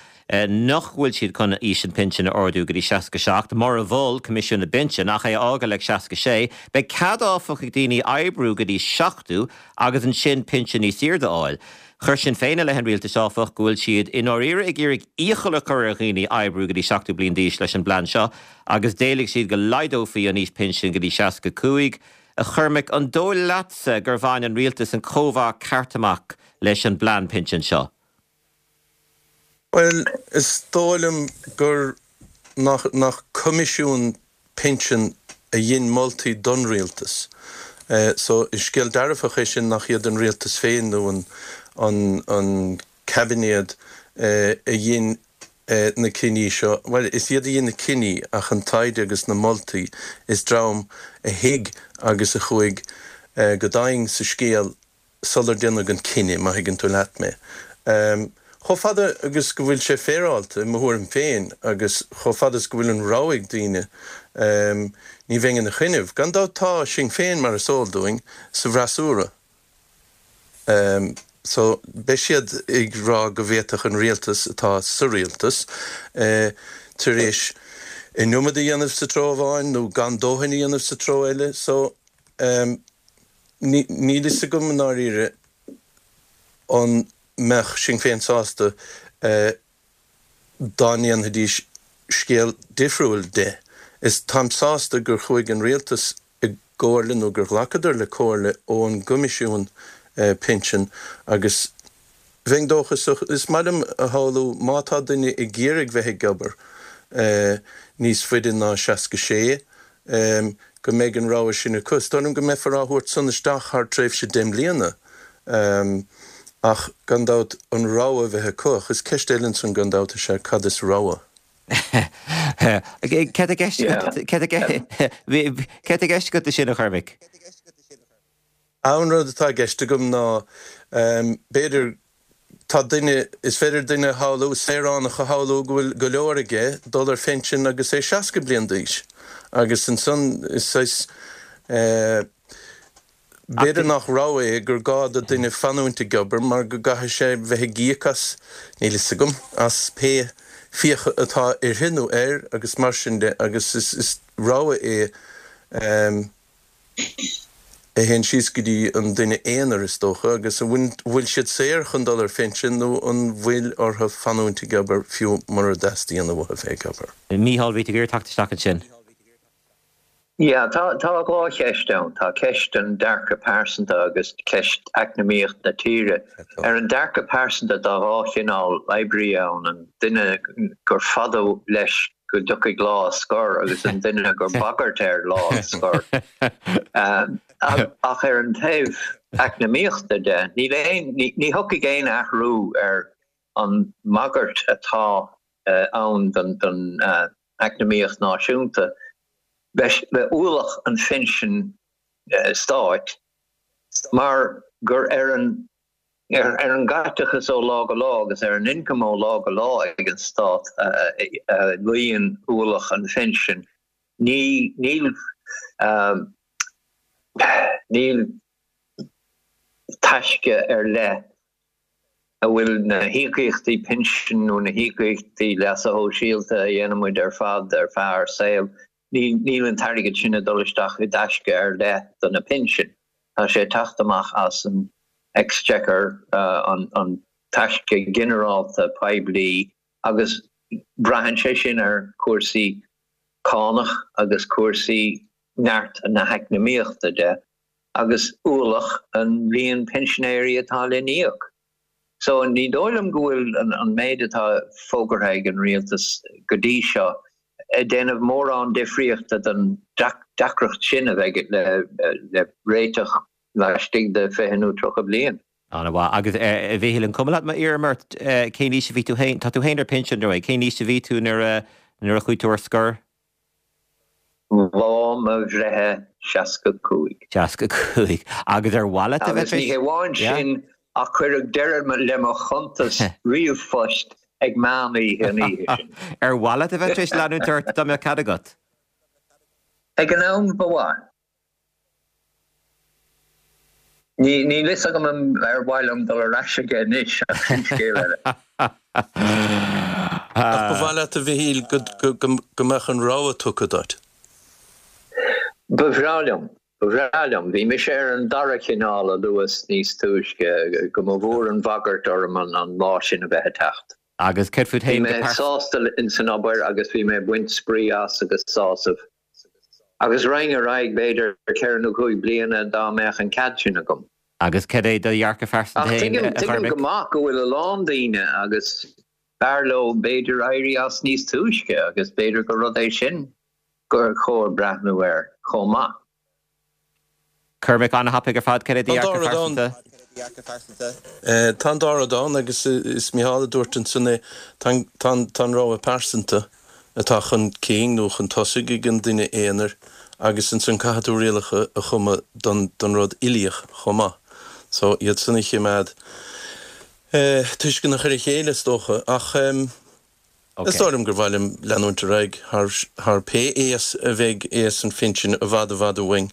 nach bhfuil siad chun aois an phinsin a ardú go dtí seasca seacht, mar a mhol Coimisiún na bPinsean, ach é a fhágáil ag seasca sé. Beidh cead áfach ag daoine oibriú go dtí seachtó agus ansin pinsean níos airde a fháil. Chuir Sinn Féin i leith an rialtais áfach go bhfuil siad i ndáiríre ag iarraidh iachall a chur ar dhaoine oibriú go dtí seachtó bliain d'aois leis an bplean seo agus d'éiligh siad go laghdófaí an aois pinsin go dtí seasca cúig. A Chormaic, an dóigh leatsa gur bhain an rialtas an cóimheá ceart amach leis an bplean pinsin seo? Bhuel, is dóigh liom gur nach nach Coimisiún Pinsean a dhein moltaí don rialtas. So, is scéal dearfach é sin nach iad an rialtas féin nó an an an caibinéad a dhein na cinní seo, bhuel, is iad a dhein na cinní ach an taighde agus na moltaí, is dream a thuig agus a chuaigh go domhain sa scéal sular déanadh an cinneadh, má thuigeann tú leat mé. Chomh fada agus go bhfuil sé féaráilte, i mo thuairim féin, agus chomh fada is go bhfuil an rogha ag daoine, ní bheinn ina choinnibh. Gan dabht tá Sinn Féin, mar is eol dúinn, sa bhfreasúra. So, beidh siad ag rá go bhféadfadh an rialtas, atá sa rialtas, tar éis an iomad a dhéanamh sa treo amháin nó gan dóthain a dhéanamh sa treo eile. So, níl fhios agam i ndáiríre an mbeadh Sinn Féin sásta dá ndéanfaidís scéal difriúil de. Is táim sásta gur chuaigh an rialtas i gcomhairle nó gur ghlacadar le comhairle ón gCoimisiún Pinsean agus bheinn dóchasach, is maith liom a shamhlú má tá duine ag iarraidh bheith ag obair níos faide ná seasca sé, go mbeidh an rogha sin acu. Is dóigh liom go mbeifear á thabhairt san isteach thar tréimhse deich mbliana ach gan dabht an rogha a bheith acu. Ach is ceist eile ansan gan dabht is ea cad is rogha? Cad i gceist agat leis sin, a Chormaic? An rud atá i gceist agam ná, b'fhéidir, tá duine, is féidir duine a shamhlú, saoránach a shamhlú go bhfuil go leor aige dul ar phinsean agus é seasca bliain d'aois agus ansan is saghas, b'fhéidir nach rogha é gur gá do duine fanúint ag obair mar go gcaithfidh sé bheith ag íoc as, níl fhios agam, as pé fiacha atá uirthi nó air agus mar sin de agus is rogha é a théann síos go dtí an duine aonair is dócha agus an bhfuil siad saor chun dul ar phinsean nó an bhfuil orthu fanúint ag obair fiú mura dteastaíonn uathu bheith ag obair. Mícheál, bhí tú ag iarraidh teacht isteach ansin. Yeah, tá tá dhá cheist ann. Tá ceist an dearcadh pearsanta agus ceist eacnamaíocht na tíre. Ar an dearcadh pearsanta tá dhá chineál oibrí ann, an duine gur fada leis go dtiocfaidh lá a scor agus an duine gur bagairt air lá a scor. Ach ar an taobh eacnamaíochta de, níl aon ní thiocfaidh aon athrú ar an mbagairt atá ann don don eacnamaíocht náisiúnta. Le ualach an phinsin stáit mar gur ar an ar an gcaiteachas ó lá go lá agus ar an ioncam ó lá go lá ag an stát a luíonn ualach an phinsin. Ní níl níl taisce ar leith a bhfuil na híocaíochtaí pinsin nó na híocaíochtaí leasa shóisialta a dhéanaimid ar fad ar feadh ár saoil, níl an t-airgead sin ag dul isteach i dtaisce ar leith do na pinsin. Tá sé ag teacht amach as an exchequer, an taisce ginearálta poiblí, agus braitheann sé sin ar chúrsaí cánach agus cúrsaí neart na heacnamaíochta de. agus ualach an líon pinsinéirí atá le n-íoc. So ní dóigh liom go bhfuil an méid atá fógartha ag an rialtas go dtí seo ag déanamh mórán difríochta don deacracht sin a bheidh le réiteach laistigh de fiche nó tríocha bliain. An-mhaith. Agus a Mhíchíl, an cuma leat má iarraim ort cén aois a bhí tú féin, tá tú féin ar pinsean, ar ndóigh, cén aois a bhí tú nuair a nuair a chuaigh tú ar scor? Lá mo bhreithe seasca cúig. Seasca cúig. Agus ar mhaith leat a bheith Agus ní hé amháin sin ach cuireadh deireadh le mo chuntas ríomhphoist ag meán oíche an oíche sin. Ar mhaith leat a bheith tar éis leanúint ort dá mbeadh cead agat? Ag an am ba mhaith. Níl fhios agam ar mhaith liom dul ar ais aige anois ach sin scéal eile. Ach ba mhaith leat a Mhichíl go mbeadh an rogha tugtha duit? Ba bhreá liom. Ba bhreá liom. Bhí mise ar an dara cineál a luas níos túisce, go mba mhór an bhagairt orm an lá sin a bheith ag teacht. Agus céard fút Bhí féin mé go pearsanta? sásta ins an obair agus bhí mé ag baint spraoi as agus sásamh. Agus raghainn ar aghaidh b'fhéidir ceithre nó cúig bliana dá mbeadh an cead sin agam. Agus cad é do dhearcadh phearsanta Ach féin, tuigim, a tuigim Chormaic? go maith go bhfuil a lán daoine agus b'fhearr leo b'fhéidir éirí as níos túisce agus b'fhéidir gur rud é sin gur chóir breathnú air chomh maith. Cormac, an-thapaidh ar fad, cad é do Tá an dá dhearcadh rud ann. phearsanta? Tá an dá rud ann agus is Micheál a dúirt ansan é, tá an rogha pearsanta atá chun cinn nó chun tosaigh ag an duine aonair agus ansan caithfidh tú rialacha a chumadh don rud uilíoch chomh maith. So iad san a chimeád tuisceanach ar a chéile is dócha ach is dóigh liom gur mhaith liom leanúint ar aghaidh thar thar pé aos a bheidh aos an phinsin i bhfad i bhfad uainn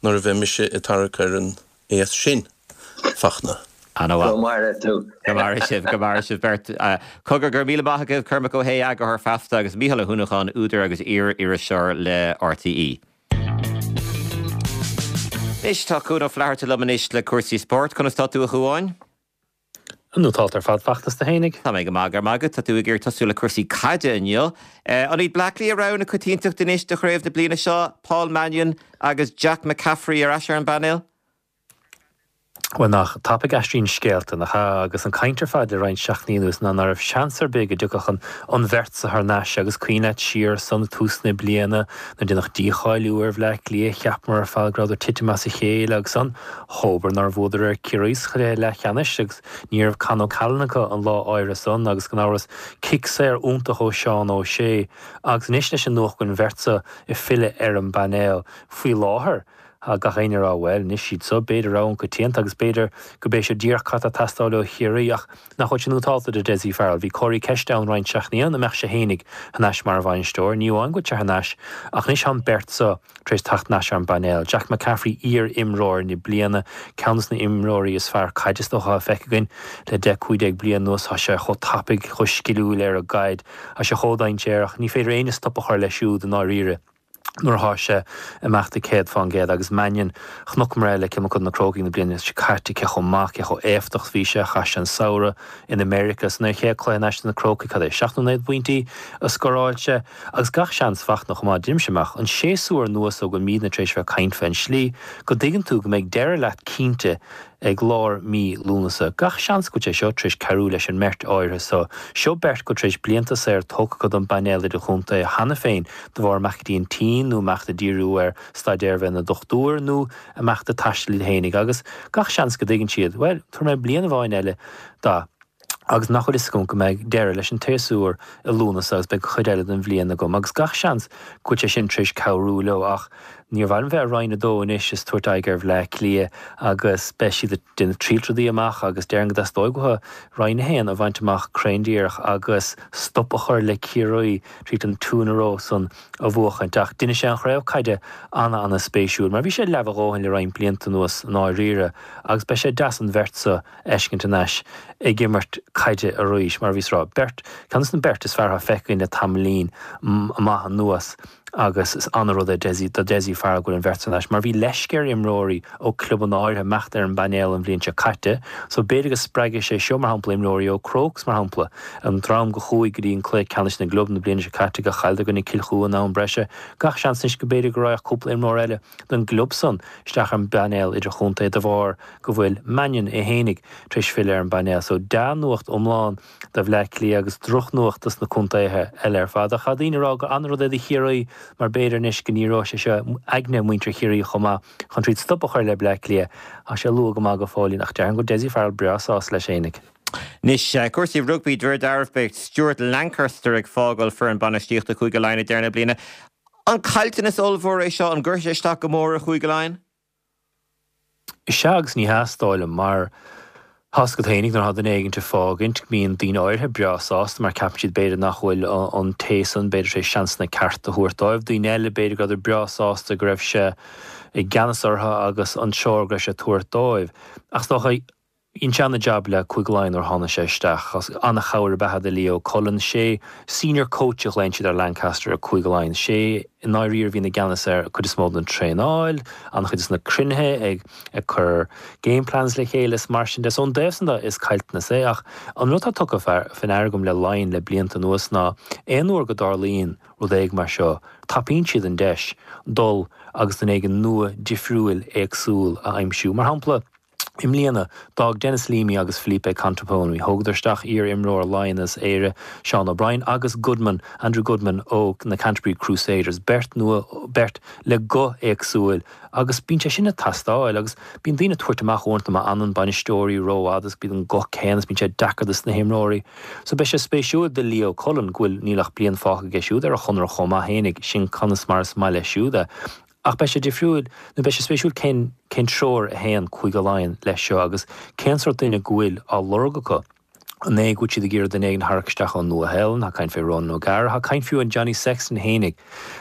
nuair a bheidh mise ag tarrac ar an aos sin, Fachtna. Ana-mhaith. Go maire tú. Go maire sibh, go maire sibh beirt. Cogar, go raibh míle maith agaibh, Cormac Ó hAodha, eagarthóir Feasta, agus Mícheál Ó hUanacháin, údar agus iar-iriseoir le RTÉ. Anois, tá Cuan Ó Flatharta liom anois le cúrsaí spóirt. Conas tá tú, a Chuáin? Nótálta ar fad Fachtna is tú fhéinig. Tá mé go maith, go raibh maith agat. Tá tú ag iarraidh tosú le cúrsaí caide inniu. An iad Bleá Cliath rogha na coitiantachta anois do chraobh na bliana seo? Paul Mannion agus Jack McCaffrey ar ais ar an bpainéal? Bhuel, nach tapaidh a aistríonn scéalta, nach ea? Agus an chaint ar fad le roinnt seachtainí anuas ná ná raibh seans ar bith go dtiocfadh an an bheirt so thar n-ais agus cuimhin leat siar ansan ag tús na bliana nuair deineadh dícháiliú ar Bhleá Cliath, cheapamar ar fad go rabhadar titim as a chéile agus an dhóbair nár bhuadar ar Ciarraí sa chluiche leathcheannais agus ní raibh Con O'Callaghan acu an lá áirithe san agus gan amhras cic saor iontach ó Seán O'Shea agus anois leis an nuacht go bhfuil an bheirt so ag filleadh ar an bpainéal faoi láthair. Tá gach éinne ag rá, bhuel, anois iad so, b'fhéidir rogha na coitianta agus b'fhéidir go b'é seo díreach cad tá ag teastáil ó Chiarraí ach nach bhfuil sé nótálta do Dessie Farrell. Bhí comharthaí ceiste ann roinnt seachtainí an mbeadh sé fhéinig thar n-ais mar bhainisteoir. Ní amháin go bhfuil sé thar n-ais ach anois tá an beirt so tar éis teacht thar n-ais ar an bpainéal. Jack McCaffrey, iar-imreoir na bliana, ceann des na imreoirí is fearr caide is dócha atá feicthe againn le deich, cúig déag bliain anuas. Tá sé chomh tapaidh, chomh sciliúil ar an gcaid. Tá sé chomh dainséarach. Ní féidir éinne stop a chur leis siúd i ndáiríre. nuair atá sé ag imeacht ag céad fán gcéad agus Mannion, chonaiceamar é le Cill Mochuda na Crócaigh na bliana seo caite cé chomh maith, cé chomh éifeachtach is bhí sé, chaith sé an samhradh in America san ina chéad cluiche thar n-ais do na Crócaigh, cad é, seacht nó naoi bpointí a scóráil sé agus gach seans Fachtna chomh maith, deinimse amach an séasúr nua so go bhfuilimidne tar éis bheith ag caint fén slí go dtuigeann tú go mbeidh deireadh leat cinnte ag lár mí Lúnasa. Gach seans go bhfuil sé seo tar éis cabhrú leis an mbeirt áirithe so. Seo beirt go bhfuil tar éis blianta saor tógtha acu don bpainéal idirchontae cheana féin de bharr imeacht go dtí an tSín nó imeacht ag díriú ar staidéar bheith ina dochtúir nó imeacht ag taisteal iad fhéinig agus gach seans go dtuigeann siad, bhuel, tabharfaidh mé bliain amháin eile dó agus nach bhfuil fhios agam go mbeidh deireadh leis an tséasúr i Lúnasa agus beidh an chuid eile den bhliain agam agus gach seans go bhfuil sé sin tar éis cabhrú leo ach níor mhaith liom bheith i Roinn a Dó anois is tabhairt aghaidh ar Bhleá Cliath agus beidh siad ag déanamh triail rudaí amach agus déarfainn go dteastóidh uathu Roinn a hAon a bhaint amach cruinn díreach agus stop a chur le Ciarraí tríd an two in a row san a bhuachaint ach déanfaidh sé an chraobh caide ana-ana spéisiúil mar bhí sé leamh a dhóthain le roinnt blianta anuas i ndáiríre agus beidh sé deas an bheirt so a fheiscint thar n-ais ag imirt caide arís, mar a bhíos ag rá, beirt, ceann des na beirt is fearr atá feicthe againn le tamaillín maith anuas agus is ana-rud é Dessie, do Dessie Farrell go bhfuil an bheirt thar n-ais, mar bhí leisce ar imreoirí ó clubanna áirithe imeacht ar an bpainéal an bhliain seo caite, so b'fhéidir go spreagfaidh sé seo, mar shampla, imreoirí ó Crokes, mar shampla, an dream go chuaigh go dtí an cluiche ceannais na gclub na bliana seo caite, go chailleadar i gcoinne Cill Chua in am breise, gach seans anois go b'fhéidir go raghadh cúpla imreoir eile den gclub san isteach ar an bpainéal idirchontae de bharr go bhfuil Mannion é fhéinig tar éis filleadh ar an bpainéal. So dea-nuacht iomlán do Bhleá Cliath agus drochnuacht dos na contaetha eile ar fad. Ach tá daoine ag rá gur an-rud é do Chiarraí mar b'fhéidir anois go ndíreoidh sé seo aigne muintir Chiarraí chomh maith chun troid stop a chur le Bleá Cliath. Tá sé luath go maith go fóillín ach déarfainn go bhfuil Dessie Farrell breá sásta leis fhéinig. Anois, cúrsaí rugbaí, de réir dealraimh beidh Stuart Lancaster ag fágáil foireann bainistíochta Chúige Laighean ag deireadh na bliana. An caillteanas ollmhór é seo an gcuirfidh sé isteach go mór ar Chúige Laighean? Is ea agus ní hea is dóigh liom mar tá a fhios agat fhéinig nuair atá duine éigint ag fágaint bíonn daoine áirithe breá sásta mar ceapann siad b'fhéidir nach bhfuil an té san b'fhéidir tar éis seansanna cearta a thabhairt dóibh. Daoine eile b'fhéidir go rabhadar breá sásta go raibh sé i gceannas orthu agus an treoir go raibh sé ag tabhairt dóibh. Ach is dócha dhein sé ana-jab le Cúige Laighean nuair a tháinig sé isteach. Ana-chabhair ab ea é do Leo Cullen. Sé senior coach a ghlaonn siad ar Lancaster i Cúige Laighean. Sé i ndáiríre a bhíonn i gceannas ar cuid is mó den traenáil, an-chuid de na cruinnithe, ag ag cur game plans le chéile is mar sin de. So ón dtaobh san de is caillteanas é ach an rud atá tugtha faoi ndeara agam le Laighin le blianta anuas ná aon uair go dtarlaíonn rud éigin mar seo tapaíonn siad an deis dul agus duine éigin nua difriúil éagsúil a aimsiú. Mar shampla, I mbliana, d'fhág Denis Leamy agus Felipe Contepomi, thógadar isteach iar-imreoir Laighean is Éire, Seán O'Brien, agus Goodman, Andrew Goodman ó na Canterbury Crusaders, beirt nua, beirt le guth éagsúil agus bíonn sé sin ag teastáil agus bíonn daoine ag tabhairt amach uaireanta má fhanann bainisteoirí rófhada agus bíonn an guth céanna is bíonn sé deacair dos na himreoirí. So beidh sé spéisiúil do Leo Cullen go bhfuil, níl ach bliain fágtha aige siúd ar a chonradh chomh maith fhéinig, sin conas mar is maith leis siúd é. Ach beidh sé difriúil, nó beidh sé spéisiúil cén cén treoir a théann Cúige Laighean leis seo agus cén sórt duine go bhfuil á lorg acu. An é go bhfuil siad ag iarraidh duine éigin a tharrac isteach ón Nua-Shéalainn, tá caint fé Ronan O'Gara, tá caint fiú an Johnny Sexton fhéinig.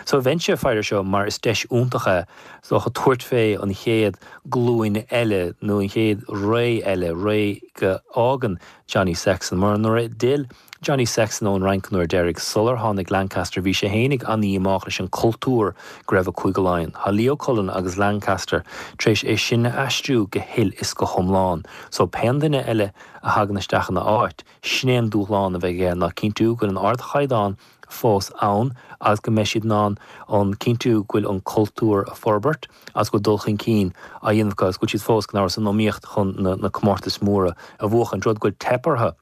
So bheinnse ag faire seo mar is deis iontach é is dócha tabhairt fé an chéad glúin eile nó an chéad ré eile, ré go fhágann Johnny Sexton mar nuair a d'fhill Johnny Sexton ón Fhrainc an uair deiridh, sular tháinig Lancaster, bhí sé fhéinig an-dhíomách leis an cultúr go raibh i Cúige Laighean. Tá Leo Cullen agus Lancaster tar éis é sin a aistriú go huile is go hiomlán. So pén duine eile a thagann isteach ina áit, sin é an dúshlán a bheidh aige ná cinntiú go bhfuil an ardchaighdeán fós ann agus go mbeidh siad in ann an cinntiú go bhfuil an cultúr a forbairt agus go bhfuil dul chun cinn á dhéanamh acu agus go bhfuil siad fós gan amhras san iomaíocht chun na comórtais mhóra a bhuachan, rud go bhfuil teip orthu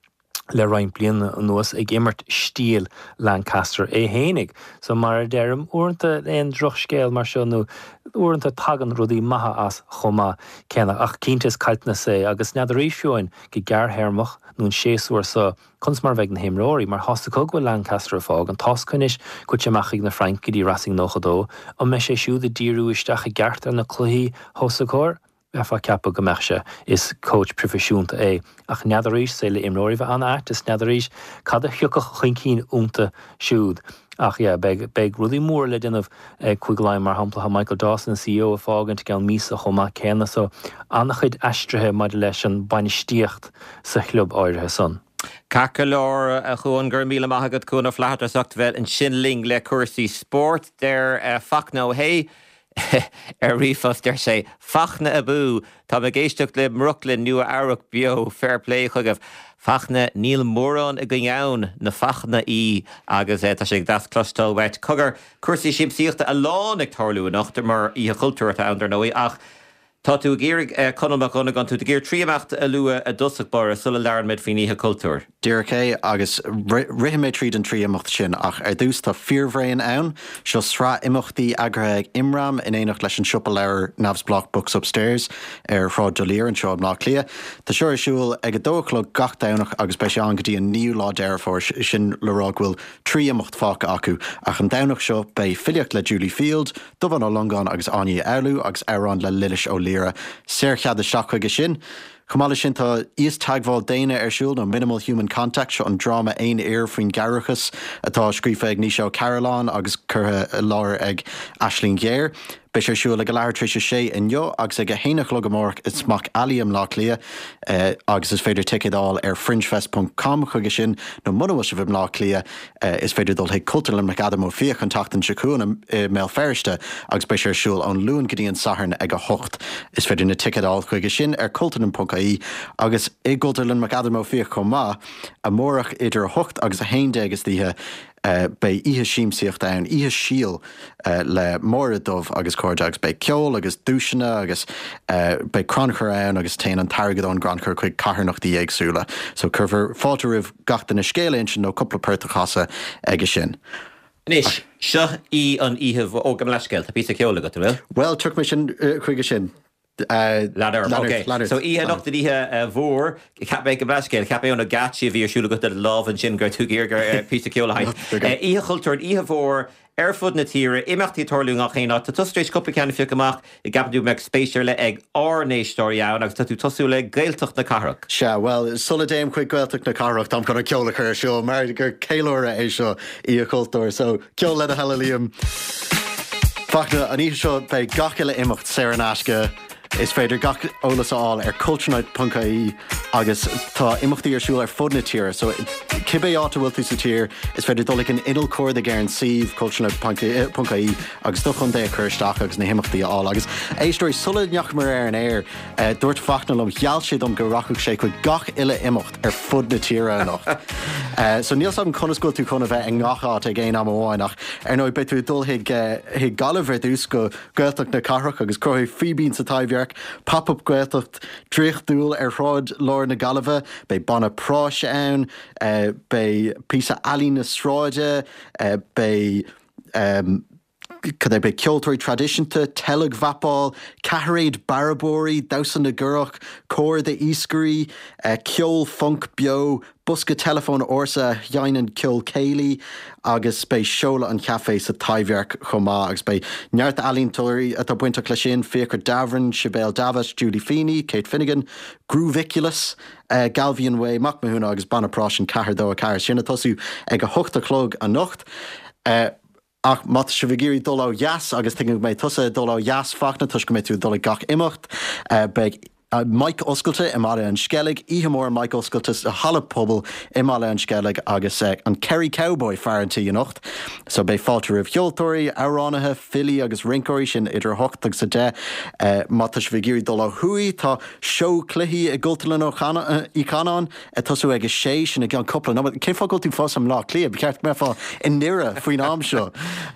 le roinnt bliana anuas ag imirt stíl Lancaster é fhéinig. So mar a deirim, uaireanta aon drochscéal mar seo nó uaireanta tagann rudaí maithe as chomh maith céanna. Ach cinnte is caillteanas é agus n'fheadar arís fiú amháin go gearrthéarmach nó an séasúr seo conas mar a bheidh na himreoirí mar tá's acu go bhfuil Lancaster ag fágaint, tá's acu anois go bhfuil sé amach chuig na Frainc go dtí Racing nócha dó, an mbeidh sé siúd ag díriú isteach i gceart ar na cluichí os a gcomhair? Bheifeá ag ceapadh go mbeadh sé. Is coach proifisiúnta é. Ach n'fheadar arís, saol le imreoirí bheith an-ait is n'fheadar arís cad a thiocfadh chun cinn iontu siúd. Ach yeah, beidh, beidh rudaí móra le déanamh ag Cúige Laighean, mar shampla, tá Michael Dawson, an CEO, ag fágaint i gceann míosa chomh maith céanna, so an-chuid aistrithe maidir leis an bainistíocht sa chlub áirithe san. Ceart go leor, a Chuan, go raibh míle maith agat, Cuan Ó Flatharta, as ucht bheith ansin linn le cúrsaí spóirt. Deir Fachtna Ó hAodha ar ríomhphost, deir sé, Fachtna abú! Táim ag éisteacht libh i mBrooklyn, Nua Eabhrac beo, fair play chugaibh. Fachtna, níl mórán againn ann, na Fachtnaí, agus tá sé deas cloisteáil uait. Cogar, cúrsaí siamsaíochta a lán ag tarlú anocht, mar Oíche Chultúir atá ann dar ndóigh, ach Tá tú ag iarraidh, Conall Mac Dhonnagáin, tú ag iarraidh trí imeacht a lua i dtosach báire sula labhrann muid faoin Oíche Chultúir. Díreach é, agus rithfidh mé tríd an trí imeacht sin, ach ar dtús tá Fíorbhraon ann. Seo sraith imeachtaí eagraithe ag Imram in éineacht leis an siopa leabhar neamhspleách Books Upstairs ar Shráid D'Olier anseo i mBleá Cliath. Tá seo ar siúl ag a dó a chlog gach Domhnach agus beidh sé ann go dtí an naoú lá Deireadh Fómhair, sin le rá go bhfuil trí imeacht fágtha acu. Ach an Domhnach seo beidh filíocht le Julie Field, Dubhán Ó Longáin agus Áine Uí Fhoghlú agus amhrán le Lillis Ó Laoire. Saorchead isteach chuige sin. Chomh maith leis sin tá Íosteagmháil Daonna ar siúl, nó Minimal Human Contact, seo an dráma aon fhir faoin gceathramhachas atá scríofa ag Naoise Ó Cairealláin agus curtha i láthair ag Aisling Ghéar. Beidh sé ar siúl ag a leathuair tar éis a sé inniu agus ag a haon a chlog amárach i Smock Alley i mBleá Cliath agus is féidir ticéid a fháil ar fringefest ponc com chuige sin nó muna bhfuil sibh i mBleá Cliath is féidir dul chuig Cultúrlann McAdam Ó Fiaich an tseachtain seo chugainn i mBéal Feirste agus beidh sé ar siúl ón Luan go dtí an Satharn ag a hocht. Is féidir na ticéid a fháil chuige sin ar cultúrlann ponc ie agus i gCultúrlann McAdam Ó Fiaich chomh maith amárach idir a hocht agus a haon déag istoíche. Beidh oíche siamsaíochta ann, Oíche Síl le Máire Dubh agus cairde agus beidh ceol agus duaiseanna agus beidh crannchur ann agus téann an t-airgead ón gcrannchur chuig carthanachtaí éagsúla. So cuirfear fáilte roimh gach duine scéal a insint nó cúpla port a chasadh aige sin. Anois, seo í an oíche, ó, gabh mo leithscéal, tá píosa ceoil agat, an bhfuil? Bhuel, tiocfaidh mé sin chuige sin. Lean orm, ok. So oíche anocht an oíche mhór, cheap mé gabh mo leithscéal, cheap mé ó na geáitsí a bhí ar siúl agat le do lámh ansin go raibh tú ag iarraidh píosa ceoil a sheinnt. Oíche Chultúir, an oíche mhór ar fud na tíre, imeachtaí ag tarlú i ngach aon áit. Tá tusa tar éis cúpla ceann a phiocadh amach a gceapann tú go mbeadh spéis ar leith ag ár n-éisteoirí ann agus tá tú ag tosú le Gaeltacht na Cathrach. Sea, bhuel, sula dtéim chuig Gaeltacht na Cathrach, táim chun an ceol a chur ar siúl mar gur ceiliúradh é seo, Oíche Chultúir. So, ceol le do thoil a Liam. Fachtna, an oíche seo beidh gach uile imeacht saor in aisce. Is féidir gach eolas a fháil ar culturenight ponc ie agus tá imeachtaí ar siúl ar fud na tíre so cibé áit a bhfuil tú sa tír is féidir dul ag an inneall cuardaigh ar an suíomh culturenight ponc ie agus do chontae a chur isteach agus na himeachtaí a fháil. Agus éisteoirí, sula ndeachamar ar an aer, dúirt Fachtna liom, gheall sé dom go rachadh sé chuig gach uile imeacht ar fud na tíre anocht. So níl 's agam conas go bhfuil tú chun a bheith i ngach áit ag aon am amháin ach ar ndóigh beidh tú ag dul chuig chuig Gaillimh ar dtús go Gaeltacht na Cathrach agus cruthóidh Fíbín sa Taibhdhearc Pop-up Gaeltacht draíochtúil ar shráid lár na Gaillimhe. Beidh banna práis ann, beidh píosa ealaíne sráide, beidh. Cad é, beidh ceoltóirí traidisiúnta, teilgmhapáil, ceathairéad bearbóirí, damhsa na gcurach, cór d'iascairí, ceol func beo, bosca teileafóin ársa a sheinneann ceol céilí agus beidh seoladh an chaifé sa Taibhdhearc chomh maith agus beidh neart ealaíontóirí atá bainteach leis sin, Fiachra Davoren, Sibéal Davitt, Julie Feeney, Kate Finnegan, Grooviculous, Galvion Way, Mac Mathúna agus Banna Práis an ceathair dó a ceathair. Sin ag tosú ag a hocht a chlog anocht. Ach má tá sibh ag iarraidh dul ó dheas, agus tuigim go mbeidh tusa ag dul ó dheas, Fachtna, toisc go mbeidh tú ag dul ag gach imeacht, beidh Mic Oscailte i mBaile an Sceilg, oíche mhór Mic Oscailte sa halla pobail i mBaile an Sceilg agus an Kerry Cowboy fear an tí anocht. So beidh fáilte roimh cheoltóirí, amhránaithe, filí agus rinceoirí, sin idir a hocht agus a deich. Má tá sibh ag iarraidh dul ó thuaidh, tá seó cluichí i gCultúrlann Uí Chanáin, Ag tosú ag a sé, sin i gceann cúpla nóiméad. Cén fáth go bhfuil tú fós i mBleá Cliath? Ba cheart go mbeifeá i nDoire faoin am seo.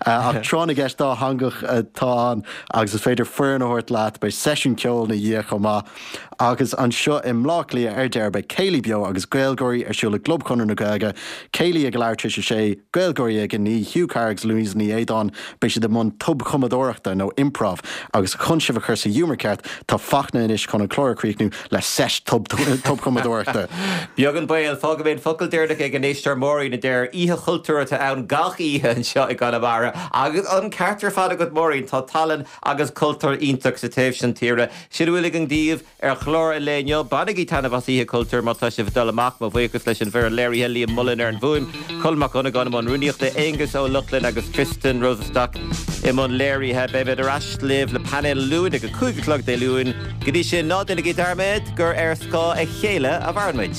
Ach tráth na gceist dátheangach atá ann agus is féidir foireann a thabhairt leat. Beidh seisiún ceoil ina dhiaidh chomh maith. Agus anseo i mBleá Cliath ar deireadh beidh Céilí Beo agus Gaelgáirí ar siúl i gClub Chonradh na Gaeilge. Céilí ag a leathuair tar éis a sé, Gaelgáirí ag a naoi, Hugh Carr agus Louise Ní Aodáin. Beidh siad i mbun tobchumadóireachta nó improv agus chun sibh a chur sa ghiúmar ceart tá Fachtna anois chun an clár a chríochnú le seit tobchumadóireachta. Beag an baol, fágfaidh mé an focal deireanach ag an éisteoir Máirín a deir, Oíche chultúir atá ann gach oíche anseo i gConamara. Agus an ceart ar fad agat Máirín, tá tallann agus cultúr iontach sa taobh sin tíre. Sin a bhfuil againn daoibh ar chlár an lae inniu. Bainigí taitneamh as Oíche Chultúir má tá sibh ag dul amach. Mo bhuíochas leis an bhfoireann léirithe, Liam Mullen ar an bhfuaim, Colm Mac Dhonnagáin i mbun rúnaíochta, Aengus Ó Lochlainn agus Tristan Rosenstock i mbun léirithe. Beimid ar ais libh le painéal Luain ag a cúig a chlog Dé Luain. Go dtí sin, ná déanaigí dearmad gur ar scáth a chéile a mhaireann muid.